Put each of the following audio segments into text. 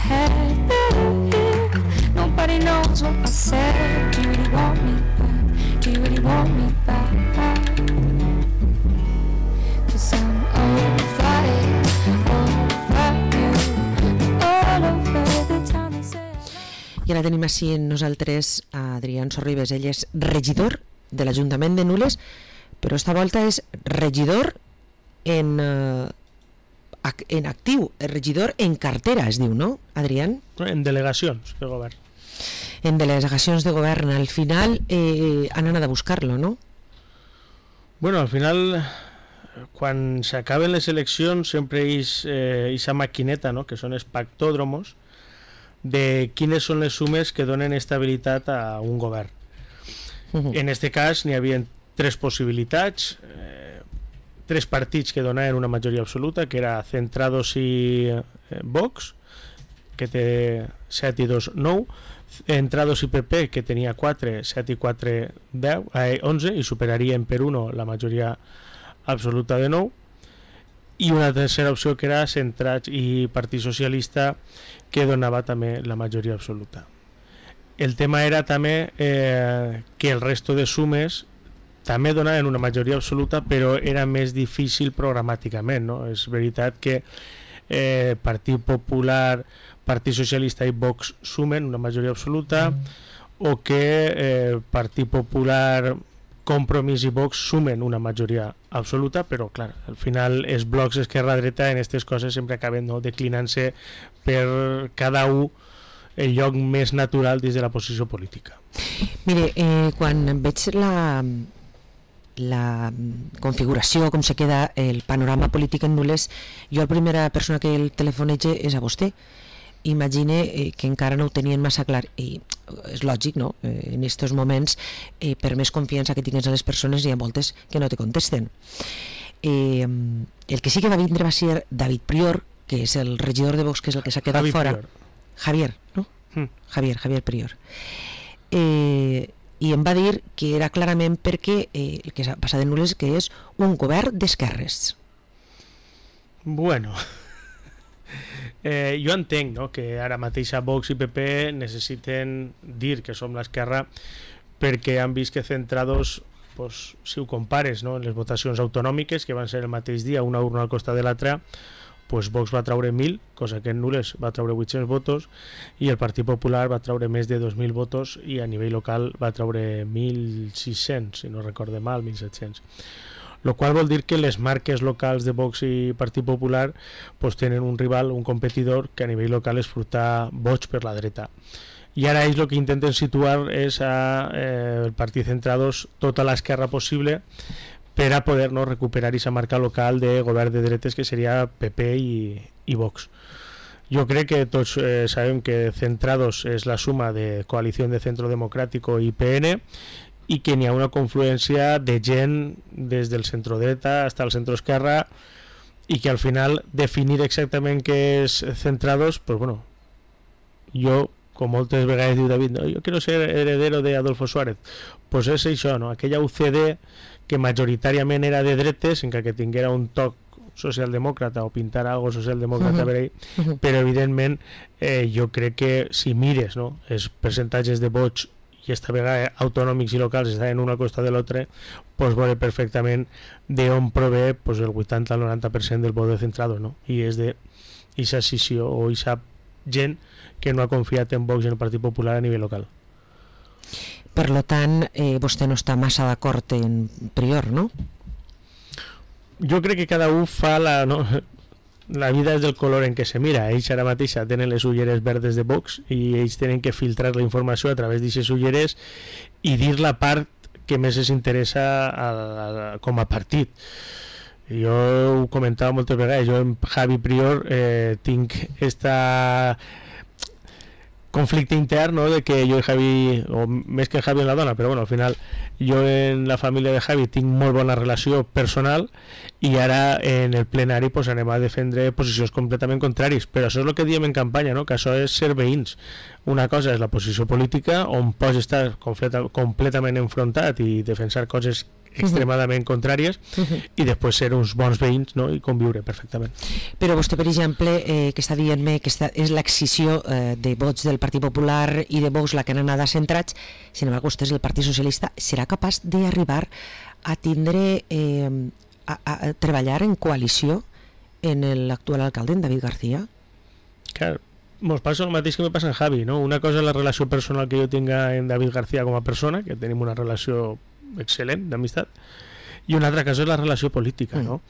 head. Nobody knows what I said. Do you really want me back? Do you really want me back? 'Cause I'm over you, all over the town they say. I ara tenim així en nosaltres a Adrián Sorribes. Ell és regidor de l'Ajuntament de Nules, però esta volta és regidor en actiu, regidor en cartera, es diu, no, Adrián? En delegacions de govern. En delegacions de govern. Al final han anat a buscar-lo, no? Bueno, al final, quan s'acaben les eleccions, sempre hi ha aquesta maquineta, no?, que són els pactòdromos, de quines són les sumes que donen estabilitat a un govern. En este cas n'hi havia tres possibilitats, tres partits que donaven una majoria absoluta, que era Centrados i Vox, que té 7 i 2, 9, Centrados i PP, que tenia 4, 7 i 4, 10, 11, i superarien per 1 la majoria absoluta de 9, i una tercera opció que era Centrats i Partit Socialista, que donava també la majoria absoluta. El tema era també que el resto de sumes també donaven una majoria absoluta, però era més difícil programàticament, no? És veritat que Partit Popular, Partit Socialista i Vox sumen una majoria absoluta, o que Partit Popular, Compromís i Vox sumen una majoria absoluta, però clar, al final els blocs esquerra-dreta en aquestes coses sempre acaben, no, declinant-se per cada un el lloc més natural dins de la posició política. Mire, quan veig la configuració, com se queda el panorama polític en Nules, jo la primera persona que el telefonege és a vostè. Imagine que encara no ho tenien massa clar, i és lògic, no? En aquests moments, per més confiança que tingues a les persones, hi ha moltes que no te contesten. El que sí que va vindre va ser David Prior, que és el regidor de Vox, que és el que s'ha quedat fora. Javier, no? Javier Prior. I em va dir que era clarament perquè el que s'ha passat en Nules, que és un govern d'esquerres. Bueno, jo entenc, no?, que ara mateix a Vox i PP necessiten dir que som l'esquerra perquè han vist que Centrados, pues, si ho compares, no?, en les votacions autonòmiques, que van ser el mateix dia, una urna al costat de l'altra, pues Vox va traure 1.000, cosa que en Nules va traure 800 votos, i el Partit Popular va traure més de 2.000 votos, i a nivell local va traure 1.600, si no recorde mal, 1.700. Lo qual vol dir que les marques locals de Vox i Partit Popular pues tenen un rival, un competidor, que a nivell local és furtar vots per la dreta. I ara ells el que intenten situar és el Partit Centrados tota l'esquerra possible per a poder, no, recuperar aquesta marca local de govern de dretes, que seria PP i Vox. Jo crec que tots sabem que Centrados és la suma de Coalició de Centro Democrático i PN, i que n'hi ha una confluència de gent des del centrodreta fins al centroesquerra, i que al final definir exactament què és Centrados, pues bueno, jo, com moltes vegades diu David, no, jo quiero ser heredero de Adolfo Suárez, pues és això, no? Aquella UCD que majoritàriament era de dretes, encara que tinguera un toc socialdemòcrata o pintar algo socialdemòcrata per ell, però evidentment jo crec que si mires, no, els percentatges de vots, i esta vegada autonòmics i locals estan una costa de l'altre, pues veure perfectament d'on prové pues el 80 al 90% del vot de Centrados, no? I és d'aquesta escissió o aquesta gent que no ha confiat en Vox i en el Partit Popular a nivell local. Per tant, vostè no està massa d'acord en Prior, no? Jo crec que cada un fa la vida és del color en què se mira. Ells ara mateix tenen les ulleres verdes de Vox i ells tenen que filtrar la informació a través d'aquestes ulleres i dir la part que més els interessa com a partit. Jo ho comentava moltes vegades, jo amb Javi Prior tinc esta conflicte intern, no?, de que jo i Javi, o més que Javi en la dona, però bueno, al final jo en la família de Javi tinc molt bona relació personal, i ara en el plenari pues anem a defendre posicions completament contràries, però això és el que diem en campanya, no?, que això és ser veïns. Una cosa és la posició política, on pots estar completament enfrontat i defensar coses extremadament contràries, i després ser uns bons veïns, no? I conviure perfectament. Però vostè, per exemple, que està dient-me que és l'excisió de vots del Partit Popular i de Vox la que han anat centrats, sin embargo, vostè és el Partit Socialista, serà capaç d'arribar a tindre, a treballar en coalició en l'actual alcalde, en David García? Clar, mos passa el mateix que me passa en Javi, no? Una cosa és la relació personal que jo tinga en David García com a persona, que tenim una relació excel·lent d'amistat, i una altra cosa és la relació política, no?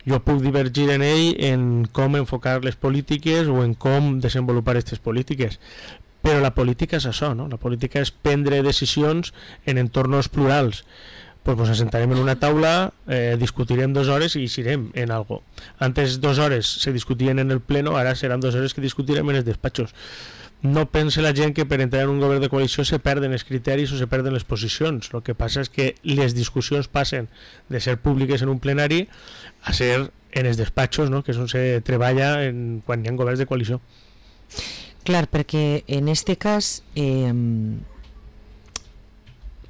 Jo puc divergir en ell en com enfocar les polítiques o en com desenvolupar aquestes polítiques, però la política és això, no? La política és prendre decisions en entorns plurals. Pues nos sentarem en una taula, discutirem 2 hores i eixirem en algo. Antes 2 hores se discutien en el pleno, ara seran 2 hores que discutirem en els despatxos. No pense la gent que per entrar en un govern de coalició se perden els criteris o se perden les posicions. El que passa és que les discussions passen de ser públiques en un plenari a ser en els despatxos, no? Que és on se treballa quan hi ha governs de coalició. Clar, perquè en este cas...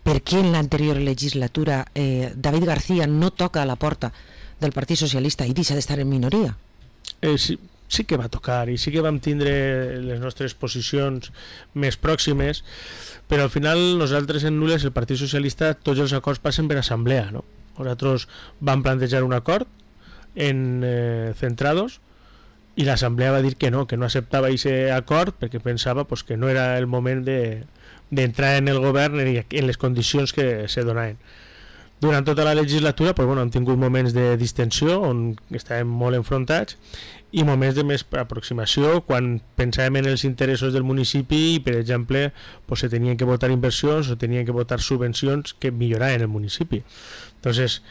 ¿por qué en la anterior legislatura David García no toca a la porta del Partit Socialista i deixa d'estar en minoria? Sí que va tocar i sí que vam tindre les nostres posicions més pròximes, però al final nosaltres en Nules, el Partit Socialista, tots els acords passen per assemblea, no? Nosaltres vam plantejar un acord en Centrados i l'assemblea va dir que no acceptava aquest acord perquè pensava pues, que no era el moment d'entrar en el govern en les condicions que se donaven. Durant tota la legislatura pues, hem tingut moments de distensió on estàvem molt enfrontats i moments de més aproximació quan pensàvem en els interessos del municipi i, per exemple, pues, se tenien que votar inversions o tenien que votar subvencions que milloraven el municipi. Entonces,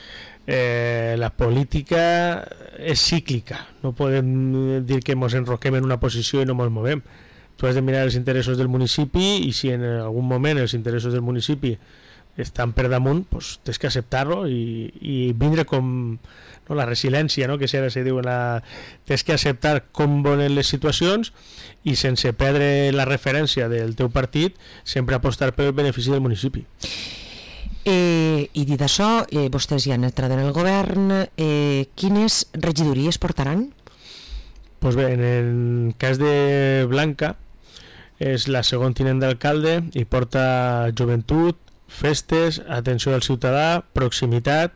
la política és cíclica, no podem dir que ens enroquem en una posició i no ens movem. Tu has de mirar els interessos del municipi i si en algun moment els interessos del municipi estan per damunt, pues, tens que acceptar-lo i vindre com la resiliència, no? Que ara se diu, tens que acceptar com volen les situacions i sense perdre la referència del teu partit sempre apostar per el benefici del municipi. I dit això, vostès ja han entrat en el govern, quines regidories portaran? Pues bé, en el cas de Blanca és la segon tinent d'alcalde i porta joventut, festes, atenció al ciutadà, proximitat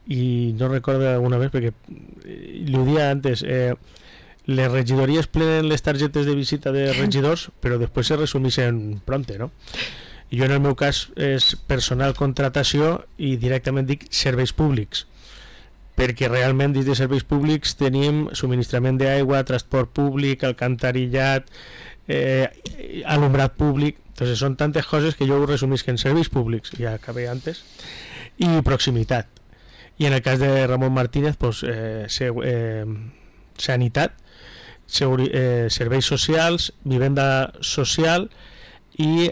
i no recordo alguna vegada perquè ho dia antes, les regidories plenen les targetes de visita de regidors però després se resumeixen pronte, no? Jo en el meu cas és personal contratació i directament dic serveis públics perquè realment dins de serveis públics tenim subministrament d'aigua, transport públic, alcantarillat, alumbrat públic. Entonces són tantes coses que jo ho resumís en serveis públics, ja acabé antes, i proximitat. I en el cas de Ramon Martínez, pues, sanitat, serveis socials, vivenda social i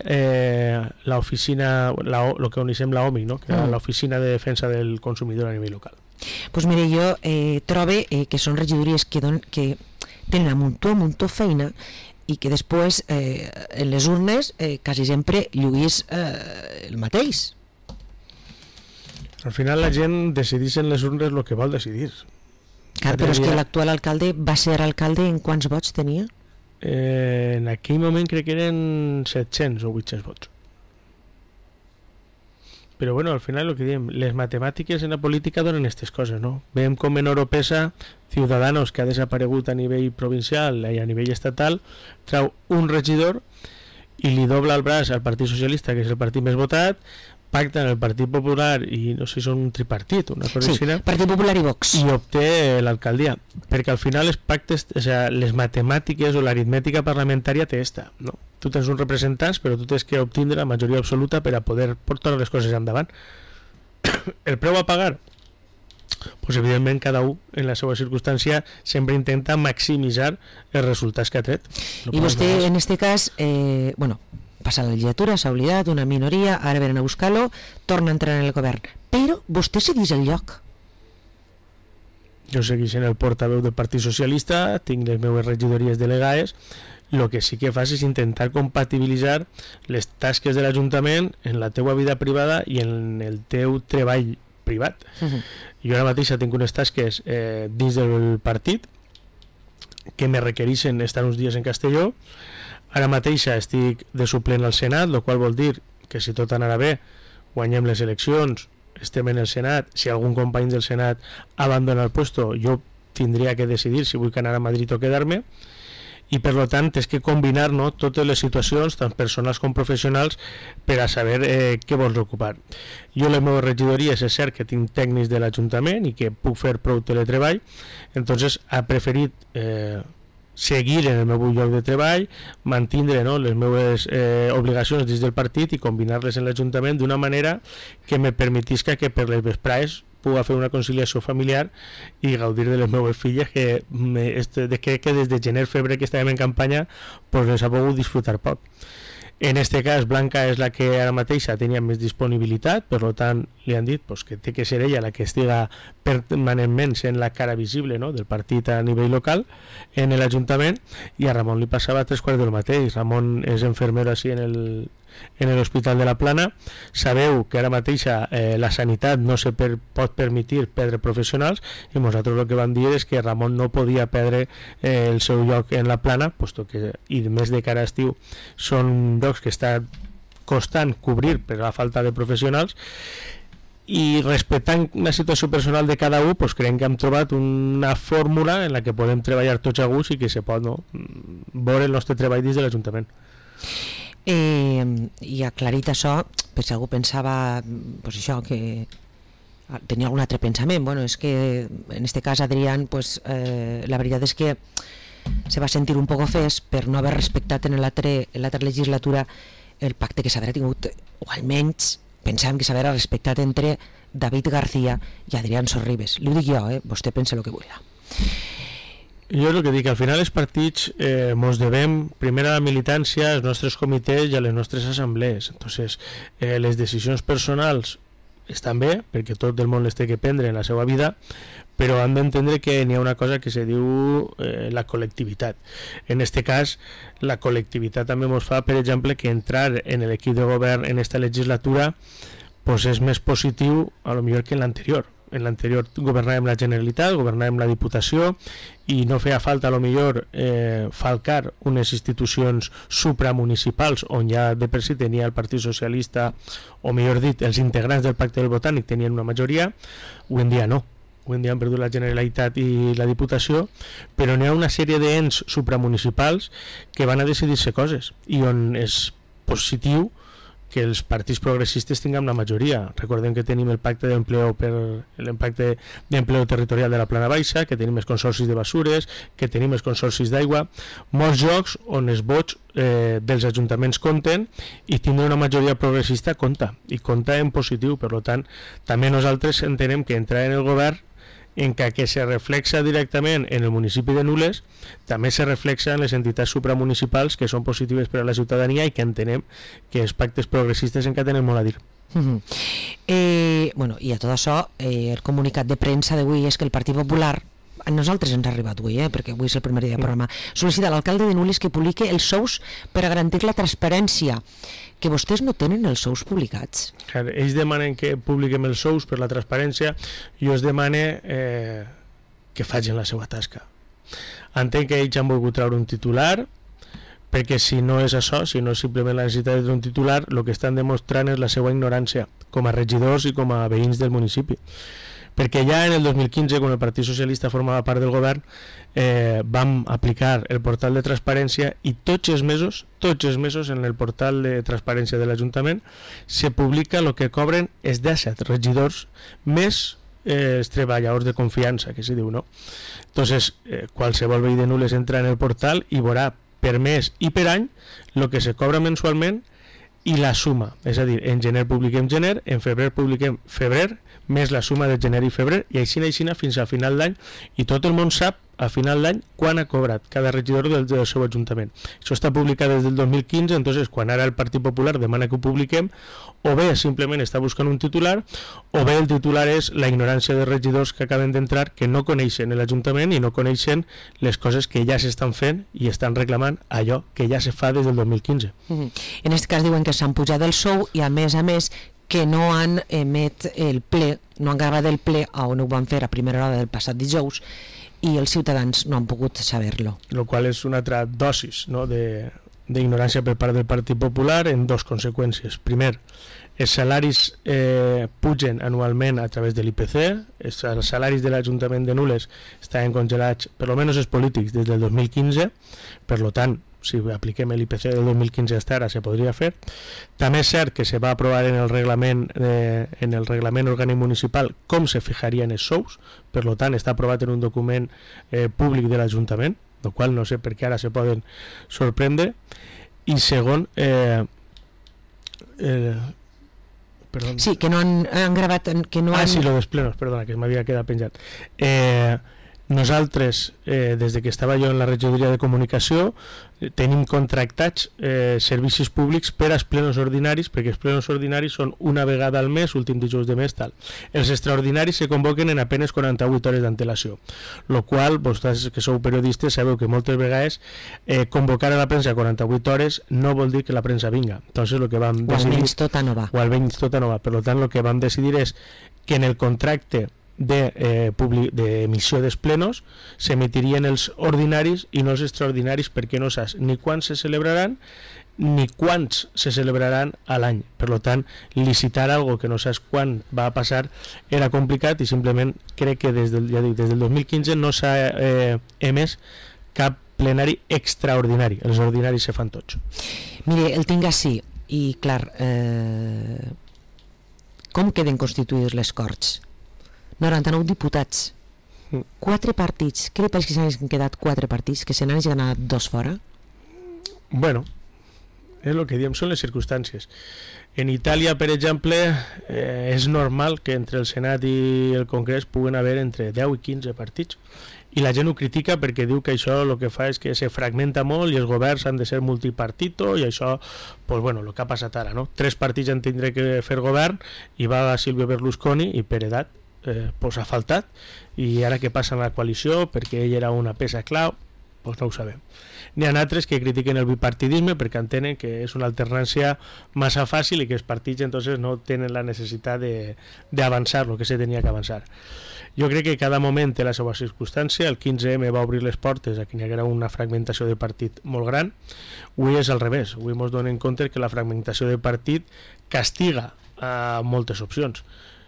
l'oficina, el que coneixem l'OMI, no? Que és l'Oficina de Defensa del Consumidor a nivell local. Pues mire, jo trobe que són regidories que tenen un muntó feina i que després en les urnes quasi sempre lluís el mateix. Al final la gent decideix en les urnes el que vol decidir. Clar, però és que l'actual alcalde va ser alcalde en quants vots tenia? En aquell moment crec que eren 700 o 800 vots. Però bueno, al final el que diem, les matemàtiques en la política donen aquestes coses, no? Veiem com en Oropesa Ciudadanos, que ha desaparegut a nivell provincial i a nivell estatal, trau un regidor i li dobla el braç al Partit Socialista, que és el partit més votat, pacten el Partit Popular i no sé si són un tripartit, una cosa així, Partit Popular i Vox, i obté l'alcaldia, perquè al final les pactes, o sea, les matemàtiques o l'aritmètica parlamentària té esta, no? Tu tens uns representants però tu tens que obtindre la majoria absoluta per a poder portar les coses endavant. El preu a pagar, pues evidentment cada un en la seva circumstància sempre intenta maximitzar els resultats que ha tret. I vostè en este cas passa la legislatura, s'ha oblidat, una minoria, ara venen a buscar-lo, torna a entrar en el govern. Però vostè segueix el lloc. Jo segueix en el portaveu del Partit Socialista, tinc les meves regidories delegades, el que sí que fas és intentar compatibilitzar les tasques de l'Ajuntament en la teua vida privada i en el teu treball privat. Jo ara mateix tinc unes tasques dins del partit que me requereixen estar uns dies en Castelló. Ara mateix estic de suplent al Senat, el qual vol dir que si tot anarà bé, guanyem les eleccions, estem en el Senat, si algun company del Senat abandona el puesto, jo tindria que decidir si vull anar a Madrid o quedar-me, i per tant és que combinar, no, totes les situacions, tant personals com professionals, per a saber què vols ocupar. Jo les meves regidories és cert que tinc tècnics de l'Ajuntament i que puc fer prou teletreball, entonces ha preferit seguir en el meu lloc de treball, mantindre, no, les meves obligacions dins del partit i combinar-les en l'Ajuntament d'una manera que me permetisca que per les vesprades puga fer una conciliació familiar i gaudir de les meves filles que crec que des de gener-febrer que estàvem en campanya pues les ha pogut disfrutar poc. En este cas Blanca és la que ara mateixa tenia més disponibilitat, per tant li han dit pues, que té que ser ella la que estiga permanentment sent la cara visible, no, del partit a nivell local en l'Ajuntament, i a Ramon li passava 3/4 del mateix. Ramon és infermero així en l'Hospital de la Plana. Sabeu que ara mateixa la sanitat no se pot permetir perdre professionals, i nosaltres el que vam dir és que Ramon no podia perdre el seu lloc en la Plana, puesto que, i més de cara a estiu, són llocs que està costant cobrir per la falta de professionals, i respectant la situació personal de cada un, pues creiem que hem trobat una fórmula en la que podem treballar tots a gust i que se pot, no, veure el nostre treball dins de l'Ajuntament. I aclarit això, per si algú pensava pues això, que tenia algun altre pensament, bueno, és que en este cas Adrián, pues, la veritat és que se va sentir un poc ofès per no haver respectat en l'altra legislatura el pacte que s'haurà tingut, o almenys pensàvem que s'haurà respectat entre David García i Adrián Sorribes. Li ho dic jo, vostè pensa el que vulgui. Jo el que dic, al final els partits mos devem primer a la militància, als nostres comitès i a les nostres assemblees. Entonces, les decisions personals estan bé, perquè tot el món les té que prendre en la seva vida, però han d'entendre que n'hi ha una cosa que se diu la col·lectivitat. En este cas, la col·lectivitat també ens fa, per exemple, que entrar en l'equip de govern en esta legislatura pues és més positiu a lo millor que en l'anterior. En l'anterior governàvem la Generalitat, governàvem la Diputació, i no feia falta a lo millor falcar unes institucions supramunicipals on ja de per si tenia el Partit Socialista, o millor dit, els integrants del Pacte del Botànic tenien una majoria. Avui en dia no. Avui en dia han perdut la Generalitat i la Diputació, però n'hi ha una sèrie d'ens supramunicipals que van a decidir-se coses, i on és positiu que els partits progressistes tinguem la majoria. Recordem que tenim el pacte d'empleo territorial de la Plana Baixa, que tenim els consorcis de basures, que tenim els consorcis d'aigua, molts jocs on els vots dels ajuntaments compten, i tindre una majoria progressista compta, i compta en positiu. Per tant, també nosaltres entenem que entrar en el govern, en que se reflexa directament en el municipi de Nules, també se reflexa en les entitats supramunicipals, que són positives per a la ciutadania, i que entenem que els pactes progressistes encara tenen molt a dir. Bueno, i a tot això, el comunicat de premsa d'avui és que el Partit Popular, a nosaltres ens ha arribat avui, perquè avui és el primer dia del programa, sol·licita a l'alcalde de Nules que publique els sous per a garantir la transparència, que vostès no tenen els sous publicats. Ells demanen que publiquem els sous per la transparència, i jo es demane que facin la seva tasca. Entenc que ells han volgut treure un titular, perquè si no és això, si no és simplement la necessitat d'un titular, el que estan demostrant és la seva ignorància com a regidors i com a veïns del municipi. Perquè ja en el 2015, quan el Partit Socialista formava part del govern, vam aplicar el portal de transparència, i tots els mesos en el portal de transparència de l'Ajuntament se publica el que cobren els 17 regidors més els treballadors de confiança, que se diu, no? Entonces, qualsevol veí de Nules entra en el portal i veurà per mes i per any el que se cobra mensualment i la suma. És a dir, en gener publiquem gener, en febrer publiquem febrer, més la suma de gener i febrer, i així fins al final d'any, i tot el món sap a final d'any quan ha cobrat cada regidor del seu ajuntament. Això està publicat des del 2015, entonces quan ara el Partit Popular demana que ho publiquem, o bé simplement està buscant un titular, o bé el titular és la ignorància de regidors que acaben d'entrar, que no coneixen l'Ajuntament i no coneixen les coses que ja s'estan fent i estan reclamant allò que ja se fa des del 2015. En aquest cas diuen que s'han pujat el sou, i a més que no han emet el ple, no han gravat el ple on ho van fer a primera hora del passat dijous i els ciutadans no han pogut saber-lo. Lo qual és una altra dosis, no?, d'ignorància per part del Partit Popular en dos conseqüències. Primer, els salaris pugen anualment a través de l'IPC, els salaris de l'Ajuntament de Nules estaven congelats, per almenys els polítics, des del 2015, per tant, si apliquem l'IPC del 2015 hasta ara se podria fer. També és cert que se va aprovar en el reglament orgànic municipal com se fijarien els sous, per tant està aprovat en un document públic de l'Ajuntament, el qual no sé per què ara se poden sorprendre. I segon, perdó. Sí, que no han gravat, que no han... Sí, lo dels plenos, perdona, que m'havia quedat penjat. Nosaltres, des de que estava jo en la regidoria de comunicació, tenim contractats servicis públics per als plenos ordinaris, perquè els plenos ordinaris són una vegada al mes, últim dijous de mes, tal. Els extraordinaris se convoquen en apenas 48 hores d'antelació, lo qual, vosaltres que sou periodistes sabeu que moltes vegades convocar a la premsa 48 hores no vol dir que la premsa vinga. Entonces lo que vam decidir... O almenys tota no va. O almenys tota no va. Per tant, el que vam decidir és que en el contracte d'emissió dels plenos s'emitirien els ordinaris i no els extraordinaris, perquè no saps ni quan se celebraran ni quants se celebraran a l'any. Per tant, licitar algo que no saps quan va a passar era complicat i simplement crec que des del 2015 no s'ha emès cap plenari extraordinari. Els ordinaris se fan tots. Mire, el tinc així i clar, com queden constituïts les Corts? 99 diputats, 4 partits. Què li pareix que s'han quedat 4 partits, que se n'han anat 2 fora? Bueno, és el que diem, són les circumstàncies. En Itàlia, per exemple, és normal que entre el Senat i el Congrés puguen haver entre 10 i 15 partits, i la gent ho critica perquè diu que això el que fa és que se fragmenta molt i els governs han de ser multipartito, i això, pues bueno, el que ha passat ara, no? 3 partits han tindre que fer govern i va Silvio Berlusconi i per edat pues ha faltat, i ara què passa en la coalició perquè ell era una peça clau, pues no ho sabem. N'hi ha altres que critiquen el bipartidisme perquè entenen que és una alternància massa fàcil i que els partits entonces no tenen la necessitat d'avançar el que se tenia que avançar. Jo crec que cada moment té la seva circumstància. El 15M va obrir les portes a que hi haguera una fragmentació de partit molt gran. Avui és al revés, avui ens donem compte que la fragmentació de partit castiga a moltes opcions.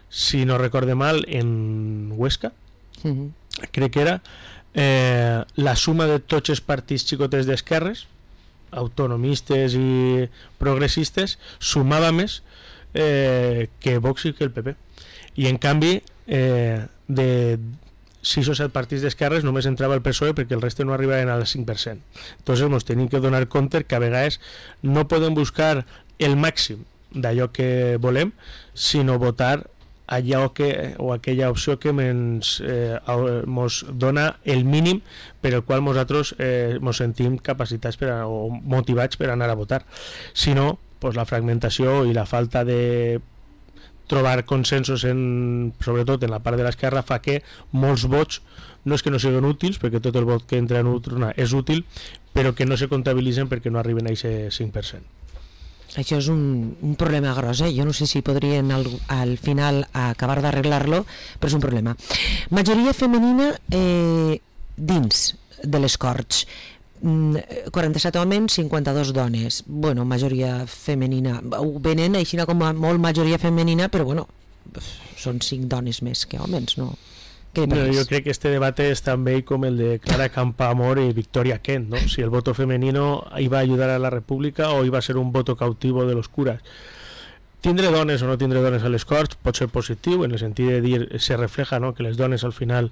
Si no recorde mal, en Huesca, crec que era la suma de tots els partits xicotets d'esquerres, autonomistes i progressistes, sumava més que Vox i que el PP. I en canvi, de 6 o 7 partits d'esquerres només entrava el PSOE perquè el reste no arribaven al 5%. Entonces ens tenim que donar compte que a vegades no podem buscar el màxim d'allò que volem, sinó votar allò o aquella opció que ens dona el mínim per el qual nosaltres ens sentim capacitats o motivats per anar a votar. Si no, pues la fragmentació i la falta de trobar consensos sobretot en la part de l'esquerra fa que molts vots no és que no siguin útils, perquè tot el vot que entra en urna és útil, però que no se comptabilitzen perquè no arriben a aquest 5%. Això és un problema gros, jo no sé si podrien al final acabar d'arreglar-lo, però és un problema. Majoria femenina dins de les Corts, 47 homes, 52 dones. Bueno, majoria femenina, ho venen així com a molt majoria femenina, però bueno, són 5 dones més que homes, no? Jo crec que este debate es tan vell com el de Clara Campoamor y Victoria Kent, ¿no? Si el voto femenino iba a ayudar a la República o iba a ser un voto cautivo de los curas. Tindre dones o no tindre dones a les Corts pot ser positiu, en el sentit de dir, se refleja, no?, que les dones al final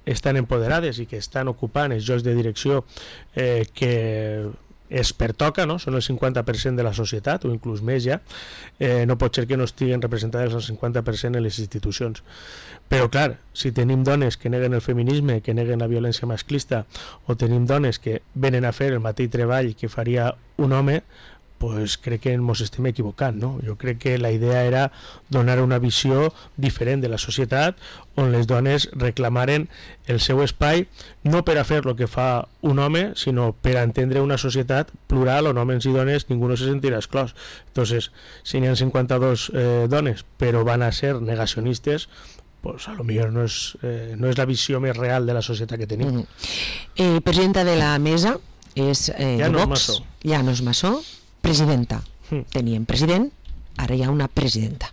estan empoderades i que estan ocupant els llocs de direcció que es pertoca, no? Són el 50% de la societat o inclús més ja. No pot ser que no estiguen representades el 50% en les institucions. Però clar, si tenim dones que neguen el feminisme, que neguen la violència masclista, o tenim dones que venen a fer el mateix treball que faria un home, pues crec que ens estem equivocant, no? Jo crec que la idea era donar una visió diferent de la societat on les dones reclamaren el seu espai, no per a fer el que fa un home, sinó per a entendre una societat plural on homes i dones ningú no se sentirà exclòs. Entonces, si n'hi ha 52 dones però van a ser negacionistes, pues a lo millor no és la visió més real de la societat que tenim. Presidenta de la mesa és Llanos Vox. Massó. Llanos Massó, presidenta. Teníem president, ara hi ha una presidenta.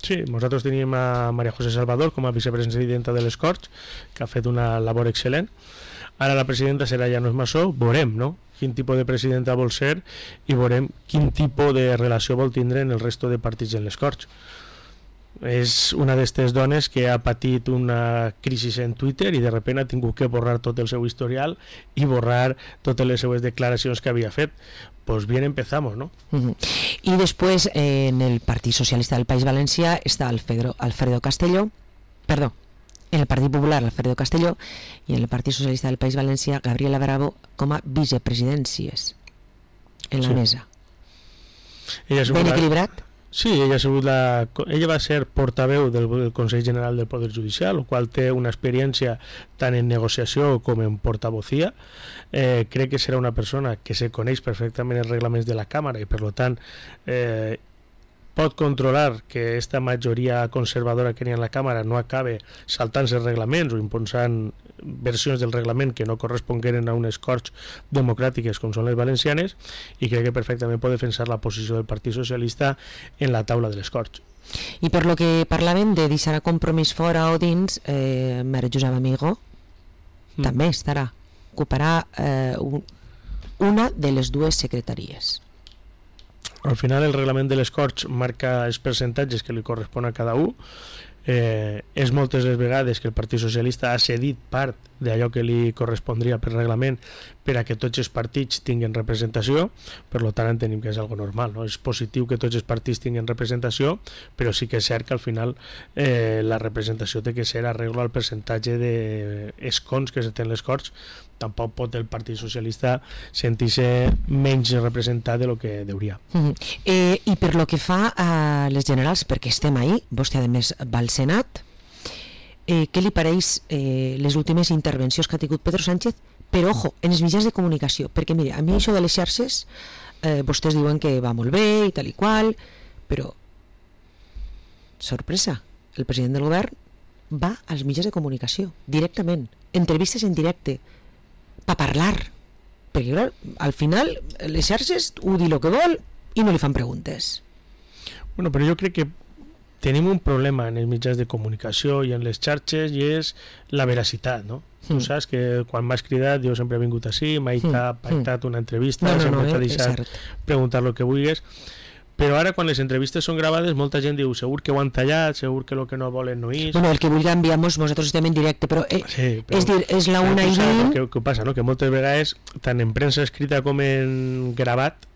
Sí, nosaltres teníem a María José Salvador com a vicepresidenta de les Corts, que ha fet una labor excel·lent. Ara la presidenta serà Llanos Massó, veurem, no?, quin tipus de presidenta vol ser i veurem quin tipus de relació vol tindre en el resto de partits en les Corts. És una d'aquestes dones que ha patit una crisi en Twitter i de sobte ha tingut que borrar tot el seu historial i borrar totes les seues declaracions que havia fet. Pues bien empezamos, ¿no? Y después en el Partido Socialista del País Valencià está Alfredo Castelló, perdón, en el Partido Popular Alfredo Castelló y en el Partido Socialista del País Valencià Gabriela Bravo com a vicepresidències en la mesa. Ben equilibrat? Sí, ella va ser portaveu del Consell General del Poder Judicial, el qual té una experiència tant en negociació com en portavocía. Crec que serà una persona que se coneix perfectament els reglaments de la Càmera i per tant pot controlar que aquesta majoria conservadora que n'hi ha en la Càmera no acabe saltant-se els reglaments o imposant versions del reglament que no correspongueren a unes Corts democràtiques com són les valencianes, i crec que perfectament pot defensar la posició del Partit Socialista en la taula de les Corts. I per lo que parlaven de deixar a Compromís fora o dins, Maria Josep Amigo també estarà, ocuparà una de les dues secretaries. Al final el reglament de les Corts marca els percentatges que li correspon a cada un. És moltes les vegades que el Partit Socialista ha cedit part d'allò que li correspondria per reglament per a que tots els partits tinguin representació, per tant entenem que és algo normal, no? És positiu que tots els partits tinguin representació, però sí que és cert que al final la representació té que ser arreglo al percentatge d'escons que se té en les Corts. Tampoc pot el Partit Socialista sentir-se menys representat de lo que deuria. I per lo que fa a les generals, perquè estem ahí, vostè a més va al Senat, què li pareix les últimes intervencions que ha tingut Pedro Sánchez, però ojo, en els mitjans de comunicació, perquè mira, a mi això de les xarxes vostès diuen que va molt bé i tal i qual, però sorpresa, el president del govern va als mitjans de comunicació directament, entrevistes en directe per parlar, perquè clar, al final les xarxes ho di el que vol i no li fan preguntes. Bueno, però jo crec que tenim un problema en els mitjans de comunicació i en les xarxes, i és la veracitat, no? Tu saps que quan m'has cridat jo sempre he vingut així, m'ha pactat una entrevista, sempre t'ha deixat preguntar el que vulguis, però ara quan les entrevistes són gravades molta gent diu segur que ho han tallat, segur que el que no volen no és. Bueno, el que vulgui enviamos, nosaltres estem en directe, però, és dir, és la 1:20. Què passa, no? Que moltes vegades, tant en premsa escrita com en gravat,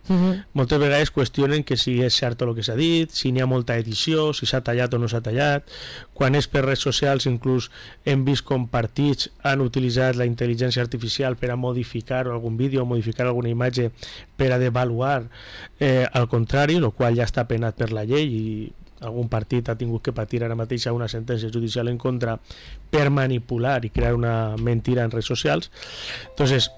moltes vegades qüestionen que si és cert el que s'ha dit, si n'hi ha molta edició, si s'ha tallat o no s'ha tallat. Quan és per redes socials inclús hem vist com partits han utilitzat la intel·ligència artificial per a modificar algun vídeo o modificar alguna imatge per a devaluar al contrari, el qual ja està penat per la llei i algun partit ha tingut que patir ara mateix una sentència judicial en contra per manipular i crear una mentira en redes socials. Entonces,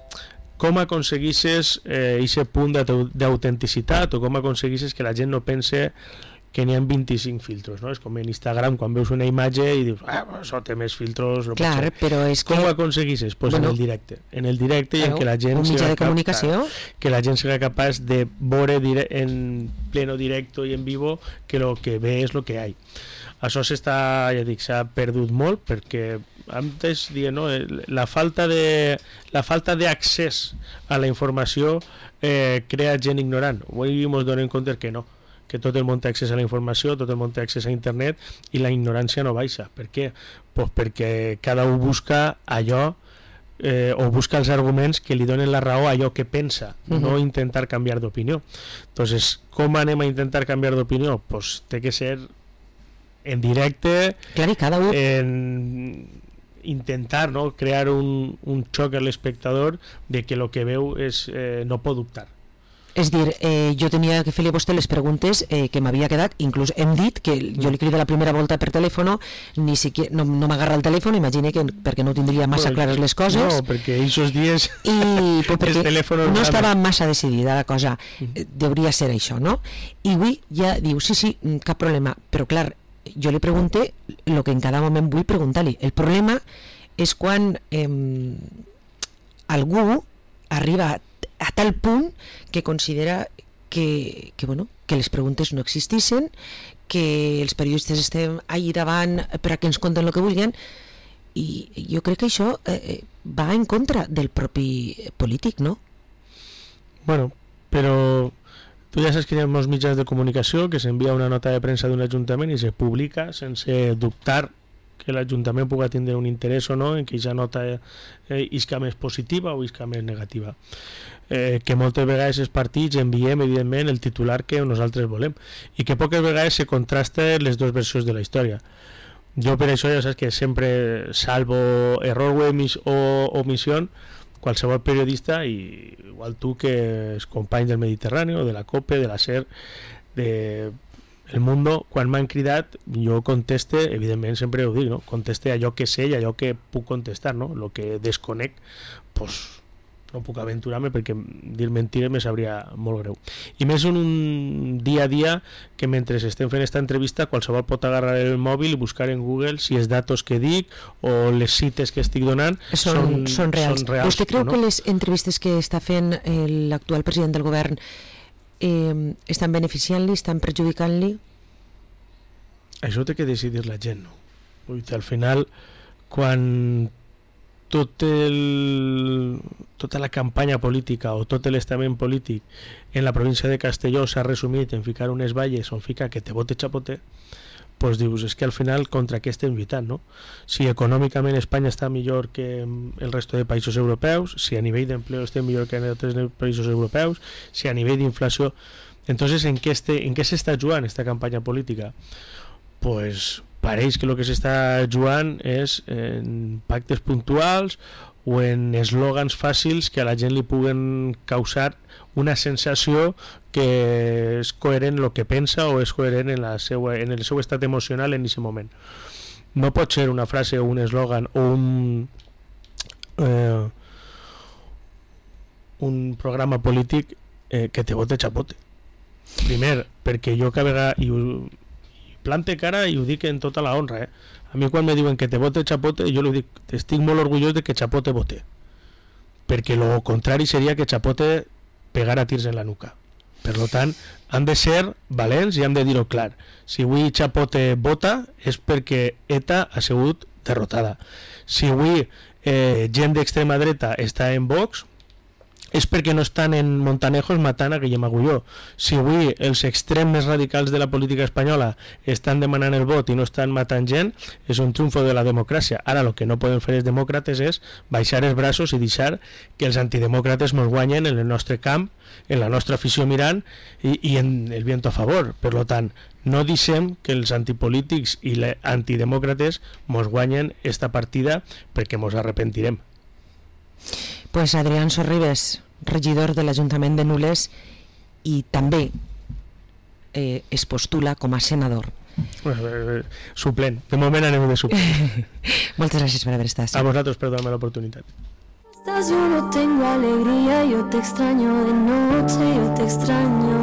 com aconseguisses aquest punt d'autenticitat o com aconseguisses que la gent no pense que n'hi ha 25 filtros, no? És com en Instagram quan veus una imatge i dius això té més filtros, no. Clar, però és que... Com ho aconseguisses? Pues bueno, en el directe i en que la gent que la gent sigui capaç de veure en pleno directo i en vivo que lo que ve és lo que hi. Això s'ha perdut molt perquè antes dient, no, la falta d'accés a la informació crea gent ignorant. Avui ens donem compte que no, que tot el món té accés a la informació, tot el món té accés a internet i la ignorància no baixa. Per què? Pues perquè cada un busca allò o busca els arguments que li donen la raó a allò que pensa, no intentar canviar d'opinió. Entonces, com anem a intentar canviar d'opinió? Pues té que ser en directe, clar, cada un... en intentar, no, crear un xoc a l'espectador de que el que veu és, no pot dubtar. És dir, jo tenia que fer-li a vostè les preguntes que m'havia quedat, inclús hem dit que jo li crida la primera volta per telèfon, ni siquiera, no m'agarra el telèfon, imagine que perquè no tindria massa clares les coses. No, perquè aquests dies perquè no estava massa decidida la cosa, hauria ser això, no? I avui ja diu, sí, cap problema, però clar, jo li pregunté el que en cada moment vull preguntar-li. El problema és quan algú arriba a tal punt que considera que les preguntes no existissin, que els periodistes estem allà davant per a que ens conten el que vulguin, i jo crec que això va en contra del propi polític, no? Bueno, però tu ja saps que hi ha molts mitjans de comunicació que s'envia una nota de premsa d'un ajuntament i se publica sense dubtar que l'Ajuntament pugui tindre un interès o no en que aquesta nota isca més positiva o isca més negativa. Que moltes vegades els partits enviem, evidentment, el titular que nosaltres volem i que poques vegades se contrasten les dues versions de la història. Jo per això ja saps que sempre salvo error o omissió, qualsevol periodista, i igual tu que els companys del Mediterrani, de la COPE, de la SER, de El Mundo, quan m'han cridat jo conteste, evidentment sempre ho dic, no? Conteste allò que sé i allò que puc contestar, no? El que desconec, pues no puc aventurar-me perquè dir mentires me sabria molt greu. I més en un dia a dia que mentre estem fent aquesta entrevista qualsevol pot agarrar el mòbil i buscar en Google si els datos que dic o les cites que estic donant són reals. Vostè creu que les entrevistes que està fent l'actual president del govern estan beneficiant-li, estan perjudicant-li? Això té que decidir la gent, no? Vull dir, al final, quan tota la campanya política o tot l'estament polític en la província de Castelló s'ha resumit en ficar unes valles on fica que te vote chapote, pues dius, és que al final contra què estem lluitant, no? Si econòmicament Espanya està millor que el resto de països europeus, si a nivell d'empleo estem millor que en altres països europeus, si a nivell d'inflació, entonces en què s'està jugant esta campanya política? Pues pareix que el que s'està jugant és en pactes puntuals o en eslògans fàcils que a la gent li puguen causar una sensació que és coherent el que pensa o és coherent en el seu estat emocional en aquest moment. No pot ser una frase o un eslògan o un programa polític que te vote chapote. Primer, perquè jo cada vegada i plante cara i ho dic en tota la honra, a mi quan me diuen que te vote chapote jo li dic, estic molt orgullós de que chapote vote, perquè lo contrari seria que chapote pegara tirs en la nuca. Per tant, han de ser valents i han de dir-ho clar. Si avui chapote vota és perquè ETA ha sigut derrotada. Si avui gent d'extrema dreta està en Vox és perquè no estan en Montanejos matant a Guillem Agulló. Si avui els extrems més radicals de la política espanyola estan demanant el vot i no estan matant gent, és un triomfo de la democràcia. Ara el que no poden fer els demòcrates és baixar els braços i deixar que els antidemòcrates ens guanyen en el nostre camp, en la nostra afició mirant i en el viento a favor. Per tant, no deixem que els antipolítics i els antidemòcrates ens guanyen esta partida perquè ens arrepentirem. Pues Adrián Sorribes, regidor de l'Ajuntament de Nules i també es postula com a senador. Suplent, de moment anem de suplent. Moltes gràcies per haver estat. A vosaltres per donar-me l'oportunitat. Yo no tengo alegría, yo te extraño de noche, yo te extraño.